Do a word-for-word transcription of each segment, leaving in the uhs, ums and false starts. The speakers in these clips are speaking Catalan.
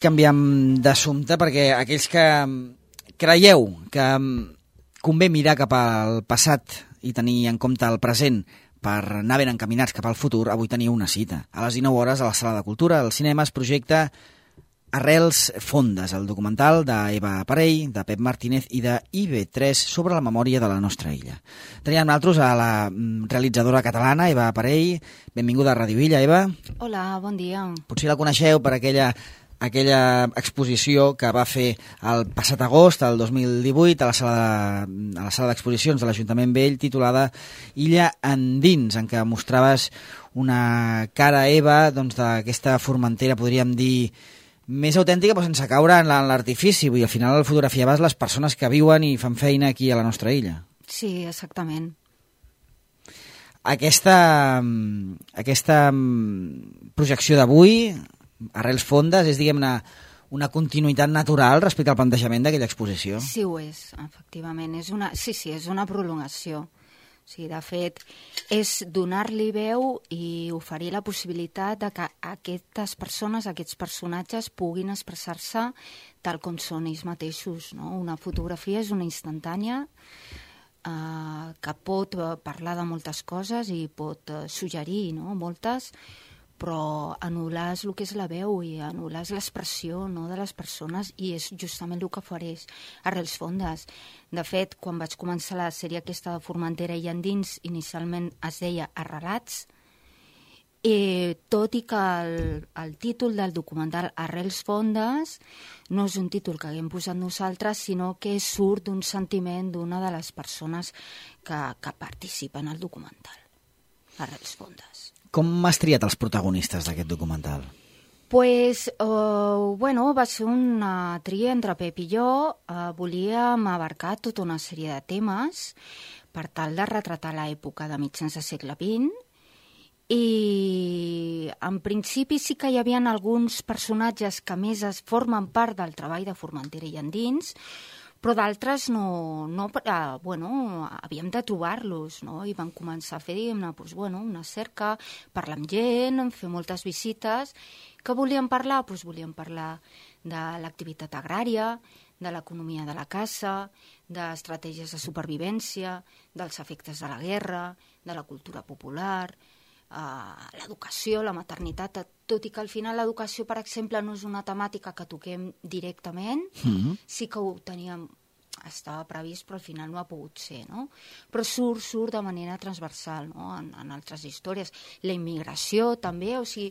Canviem d'assumpte perquè aquells que creieu que convé mirar cap al passat i tenir en compte el present per anar ben encaminats cap al futur, avui teniu una cita. A les dinou hores, a la Sala de Cultura, al cinema, es projecta Arrels fondes, el documental d'Eva Parell, de Pep Martínez i de I B tres sobre la memòria de la nostra illa. Tenim amb nosaltres a la realitzadora catalana, Eva Parell. Benvinguda a Ràdio Illa, Eva. Hola, bon dia. Potser la coneixeu per aquella... aquella exposició que va fer el passat agost, el dos mil divuit, a la sala de, a la sala d'exposicions de l'Ajuntament Vell, titulada Illa endins, en què mostraves una cara, Eva, doncs, d'aquesta Formentera, podríem dir, més autèntica, però sense caure en l'artifici. Vull dir, al final fotografiaves les persones que viuen i fan feina aquí a la nostra illa. Sí, exactament. Aquesta, aquesta projecció d'avui, Arrels fondes, és, diguem-ne, una continuïtat natural respecte al plantejament d'aquella exposició? Sí, ho és, efectivament. És una, sí, sí, és una prolongació. O sigui, de fet, és donar-li veu i oferir la possibilitat de que aquestes persones, aquests personatges, puguin expressar-se tal com són ells mateixos, no? Una fotografia és una instantània eh, que pot parlar de moltes coses i pot eh, suggerir, no? Moltes, però anul·lar és el que és la veu i anul·lar és l'expressió, no, de les persones, i és justament el que ofereix Arrels fondes. De fet, quan vaig començar la sèrie aquesta de Formentera i endins, inicialment es deia Arrelats, i tot i que el, el títol del documental Arrels fondes no és un títol que haguem posat nosaltres, sinó que surt d'un sentiment d'una de les persones que, que participen al documental, Arrels fondes. Com has triat els protagonistes d'aquest documental? Pues, uh, bueno, va ser una tria entre Pep i jo. Uh, volíem abarcar tota una sèrie de temes per tal de retratar l'època de mitjans del segle vint, i en principi sí que hi havia alguns personatges que més es formen part del treball de Formentera i endins, però d'altres no, no eh, bueno, havíem de trobar-los, no? I vam començar a fer, diguem-ne, doncs, bueno, una cerca, parlar amb gent, fer moltes visites. Què volíem parlar? Doncs volíem parlar de l'activitat agrària, de l'economia de la caça, d'estratègies de supervivència, dels efectes de la guerra, de la cultura popular, eh, l'educació, la maternitat, tot i que al final l'educació, per exemple, no és una temàtica que toquem directament, mm-hmm. sí que ho teníem, estava previst, però al final no ha pogut ser, no? Però surt, surt de manera transversal, no? En, en altres històries. La immigració també, o sigui,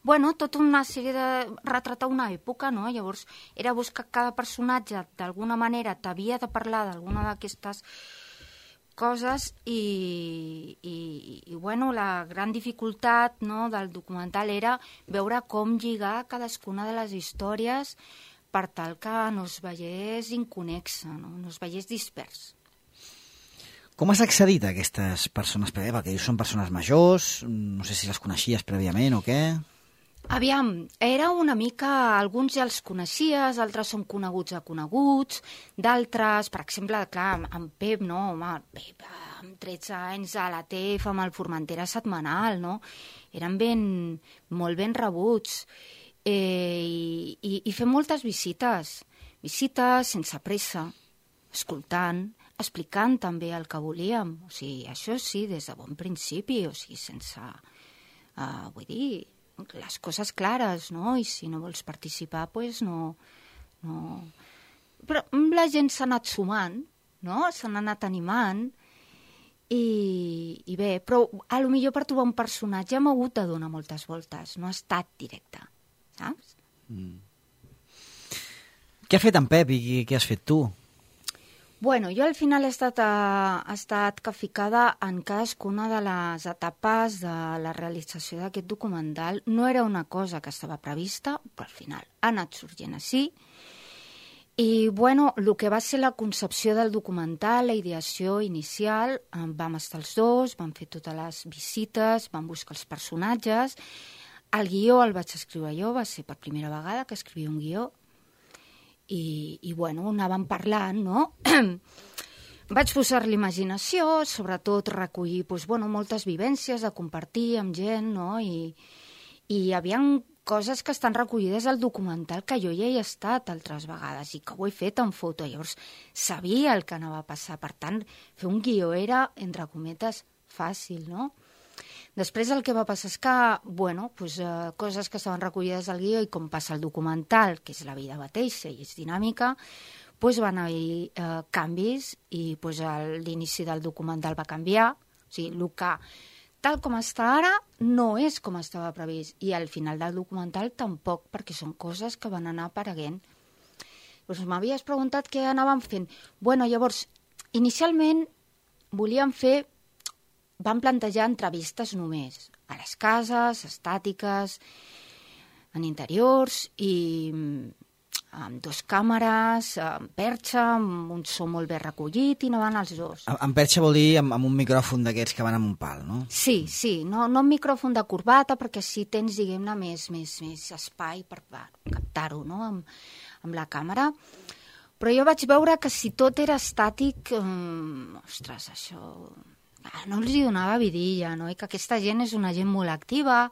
bueno, tota una sèrie de... retratar una època, no? Llavors, era buscar que cada personatge, d'alguna manera, t'havia de parlar d'alguna d'aquestes coses i, i, i bueno, la gran dificultat, no, del documental era veure com lligar cadascuna de les històries per tal que no es veiés inconexa, no, no es veiés dispers. Com has accedit a aquestes persones? Perquè són persones majors, no sé si les coneixies prèviament o què... Aviam, era una mica... Alguns ja els coneixies, altres són coneguts a coneguts, d'altres, per exemple, clar, amb Pep, no, home, Pep, amb tretze anys a la T F, amb el Formentera setmanal, no? Eren ben, molt ben rebuts. Eh, i, i, I fer moltes visites, visites sense pressa, escoltant, explicant també el que volíem. O sigui, això sí, des de bon principi, o sigui, sense... Uh, vull dir... les coses clares, no? I si no vols participar, doncs no, no... Però la gent s'ha anat sumant, no? S'han anat animant i, i bé, però a lo millor per trobar un personatge hem hagut de donar moltes voltes, no ha estat directe, saps? Mm. Què ha fet en Pep i què has fet tu? Bueno, jo al final he estat, uh, he estat capficada en cadascuna de les etapes de la realització d'aquest documental. No era una cosa que estava prevista, però al final ha anat sorgint així. I, bueno, el que va ser la concepció del documental, la ideació inicial, eh, vam estar els dos, vam fer totes les visites, vam buscar els personatges. El guió el vaig escriure jo, va ser per primera vegada que escrivia un guió. I, i bueno, anàvem parlant, no? Vaig posar l'imaginació, sobretot recollir doncs, bueno, moltes vivències de compartir amb gent, no? I, i hi havia coses que estan recollides al documental, que jo ja hi he estat altres vegades i que ho he fet en foto. Llavors, sabia el que anava a passar. Per tant, fer un guió era, entre cometes, fàcil, no? Després el que va passar és que, bueno, pues, eh, coses que estaven recollides al guió i com passa el documental, que és la vida mateixa i és dinàmica, pues, van haver eh, canvis i pues, l'inici del documental va canviar. O sigui, el que tal com està ara no és com estava previst i al final del documental tampoc, perquè són coses que van anar apareguent. Doncs m'havies preguntat què anàvem fent. Bueno, llavors, inicialment volíem fer, vam plantejar entrevistes només, a les cases, estàtiques, en interiors i amb dos càmeres, amb perxa, amb un so molt ben recollit i anaven els dos. Amb perxa vol dir amb, amb un micròfon d'aquests que van amb un pal, no? Sí, sí, no, no amb micròfon de corbata, perquè així tens, diguem-ne, més, més, més espai per, per captar-ho, no?, amb, amb la càmera. Però jo vaig veure que si tot era estàtic, eh, ostres, això no els hi donava vidilla, no?, i que aquesta gent és una gent molt activa,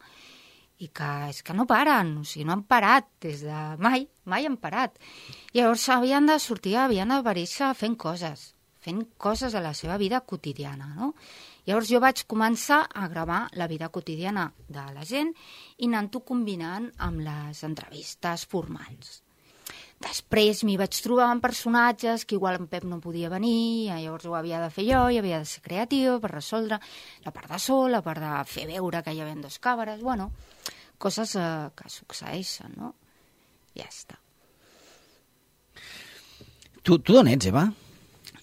i que és que no paren, o sigui, no han parat des de mai, mai han parat. I llavors havien de sortir, havien d'aparèixer fent coses, fent coses a la seva vida quotidiana, no? Llavors jo vaig començar a gravar la vida quotidiana de la gent i anant-ho combinant amb les entrevistes formals. Després m'hi vaig trobar amb personatges que igual en Pep no podia venir, llavors ho havia de fer jo, i havia de ser creatiu per resoldre la part de so, la part de fer veure que hi havia dos càmeres, bueno, coses eh, que succeeixen, no? Ja està. Tu, tu d'on ets, Eva?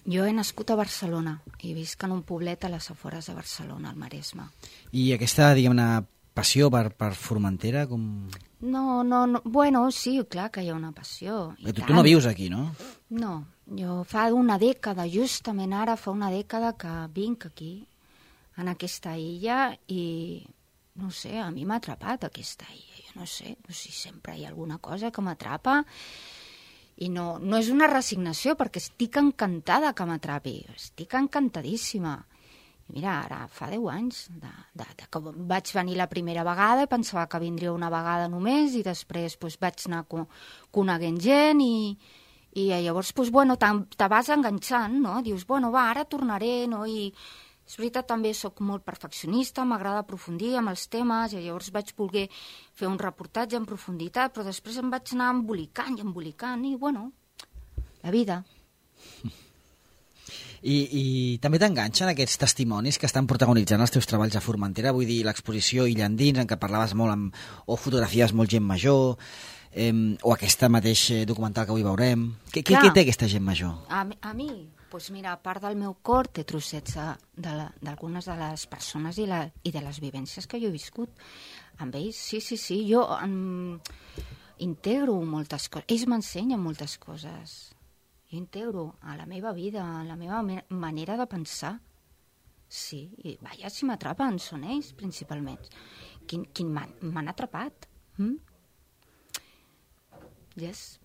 Jo he nascut a Barcelona i visc en un poblet a les afores de Barcelona, al Maresme. I aquesta, diguem-ne, passió per, per Formentera, com... No, no, no, bueno, sí, clar que hi ha una passió. Tu, tu no vius aquí, no? No, jo fa una dècada, justament ara fa una dècada que vinc aquí, en aquesta illa, i no sé, a mi m'ha atrapat aquesta illa, jo no sé, no sé, sempre hi ha alguna cosa que m'atrapa, i no, no és una resignació, perquè estic encantada que m'atrapi, estic encantadíssima. I mira, ara fa deu anys de, de, de que vaig venir la primera vegada i pensava que vindria una vegada només i després pues, vaig anar co coneguent gent i, i llavors pues, bueno, te, te vas enganxant, no? Dius, bueno, va, ara tornaré, no? I és veritat, també sóc molt perfeccionista, m'agrada aprofundir amb els temes i llavors vaig voler fer un reportatge en profunditat, però després em vaig anar embolicant i embolicant i, bueno, la vida. I, i també t'enganxen aquests testimonis que estan protagonitzant els teus treballs a Formentera, vull dir, l'exposició Illa Endins, en què parlaves molt amb, o fotografies molt gent major, eh, o aquesta mateix documental que avui veurem. Què, què, què té aquesta gent major? A, a mi, doncs mira, a part del meu cor, té trossets d'algunes de, de les persones i, la, i de les vivències que jo he viscut amb ells. Sí, sí, sí, jo em, integro moltes coses, ells m'ensenyen moltes coses. Jo integro a la meva vida, a la meva manera de pensar. Sí, i vaja, si m'atrapen, són ells, principalment. Quin, quin m'han atrapat. Mm? Yes.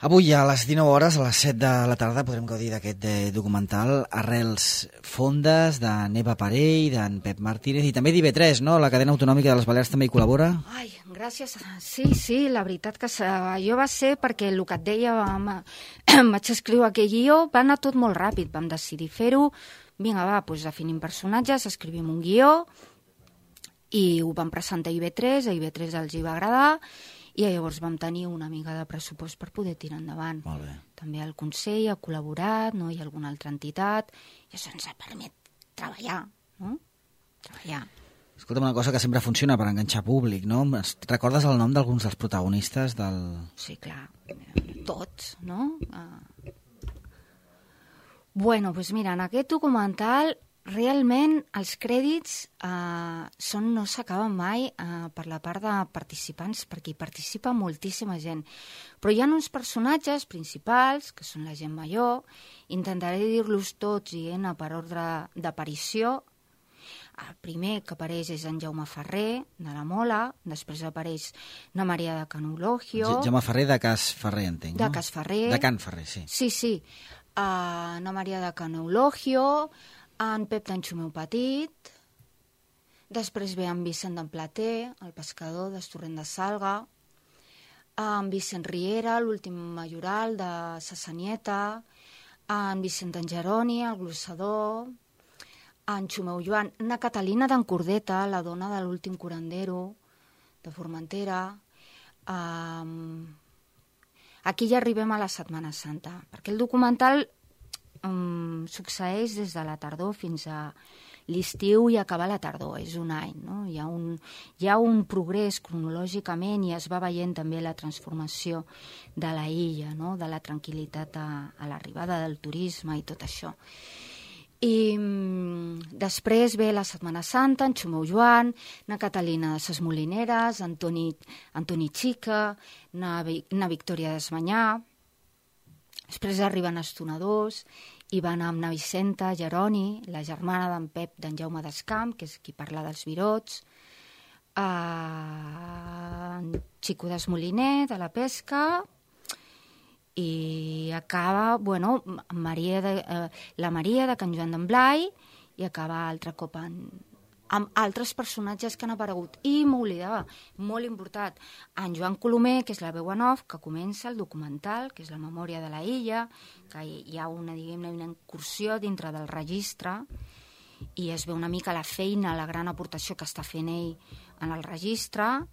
Avui a les dinou hores, a les set de la tarda, podrem gaudir d'aquest eh, documental Arrels fondes, de Neva Parell, d'en Pep Martínez, i també d'I B tres, no? La cadena autonòmica de les Balears també hi col·labora. Ai, gràcies. Sí, sí, la veritat que jo va ser perquè el que et deia, em vaig escriure aquell guió, va anar tot molt ràpid, vam decidir fer-ho, vinga, va, doncs definim personatges, escrivim un guió, i ho vam presentar a I B tres, a I B tres els hi va agradar, i llavors vam tenir una mica de pressupost per poder tirar endavant. Molt bé. També el Consell ha col·laborat, no? Hi ha alguna altra entitat, i això ens ha permet treballar, no? Treballar. Escolta'm, una cosa que sempre funciona per enganxar públic, no? Recordes el nom d'alguns dels protagonistes del... Sí, clar, tots, no? Uh... Bueno, doncs mira, en aquest documental realment els crèdits eh, són, no s'acaben mai eh, per la part de participants, perquè hi participa moltíssima gent. Però hi ha uns personatges principals, que són la gent major, intentaré dir-los tots i anar per ordre d'aparició. El primer que apareix és en Jaume Ferrer, de la Mola, després apareix na Maria de Canulogio. Jaume Ferrer de Cas Ferrer, entenc, de no? Cas Ferrer. De Can Ferrer, sí. Sí, sí. Uh, na Maria de Canulogio, en Pep d'Anxumeu Petit. Després ve en Vicent d'en Plater, el pescador d'Estorrent de Salga, en Vicent Riera, l'últim majoral de Sassanieta, en Vicent d'en Jeroni, el glossador, en Xumeu Joan, na Catalina d'en Cordeta, la dona de l'últim curandero de Formentera. Um, aquí ja arribem a la Setmana Santa, perquè el documental um, succeeix des de la tardor fins a l'estiu i acaba la tardor, és un any, no? Hi ha un, hi ha un progrés cronològicament i es va veient també la transformació de la illa, no? De la tranquil·litat a, a l'arribada del turisme i tot això. I mm, després ve la Setmana Santa, en Xumeu Joan, na Catalina de ses Molineres, Antoni, Antoni Xica, na, na Victòria d'Esmanyà. Després arriben estonadors i van amb na Vicenta Jeroni, la germana d'en Pep d'en Jaume d'Escamp, que és qui parla dels virots, uh, en Xico d'Esmoliner, de la pesca, i acaba, bueno, Maria de, eh, la Maria de Can Joan d'en Blai, i acaba altre cop en, amb altres personatges que han aparegut. I m'oblidava, molt important, en Joan Colomer, que és la veu en off, que comença el documental, que és la memòria de la illa, que hi ha una, diguem-ne, una incursió dintre del registre, i es veu una mica la feina, la gran aportació que està fent ell en el registre,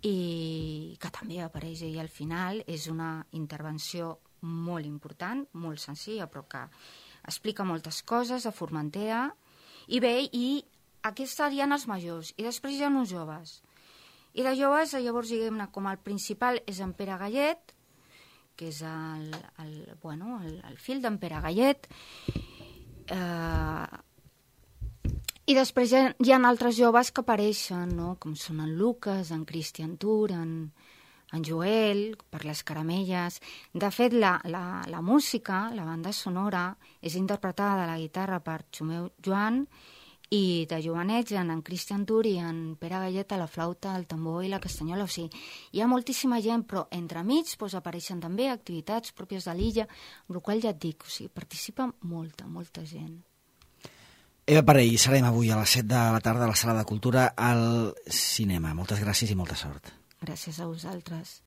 i que també apareix ell al final. És una intervenció molt important, molt senzilla, però que explica moltes coses a Formentera. I bé, i aquests serien els majors, i després hi ha uns joves. I de joves, llavors, diguem-ne, com el principal és en Pere Gallet, que és el, el, bueno, el, el fill d'en Pere Gallet, eh, i després hi ha, hi ha altres joves que apareixen, no? Com són en Lucas, en Cristian Tur, en, en Joel, per les caramelles. De fet, la, la, la música, la banda sonora, és interpretada de la guitarra per Xumeu Joan, i de jovenets en, en Cristian Tur i en Pere Gallet a la flauta, el tambor i la castanyola. O sigui, hi ha moltíssima gent, però entremig doncs, apareixen també activitats pròpies de l'illa, amb la qual ja et dic, o sigui, participa molta, molta gent. Eva Parell, serem avui a les set de la tarda a la Sala de Cultura al cinema. Moltes gràcies i molta sort. Gràcies a vosaltres.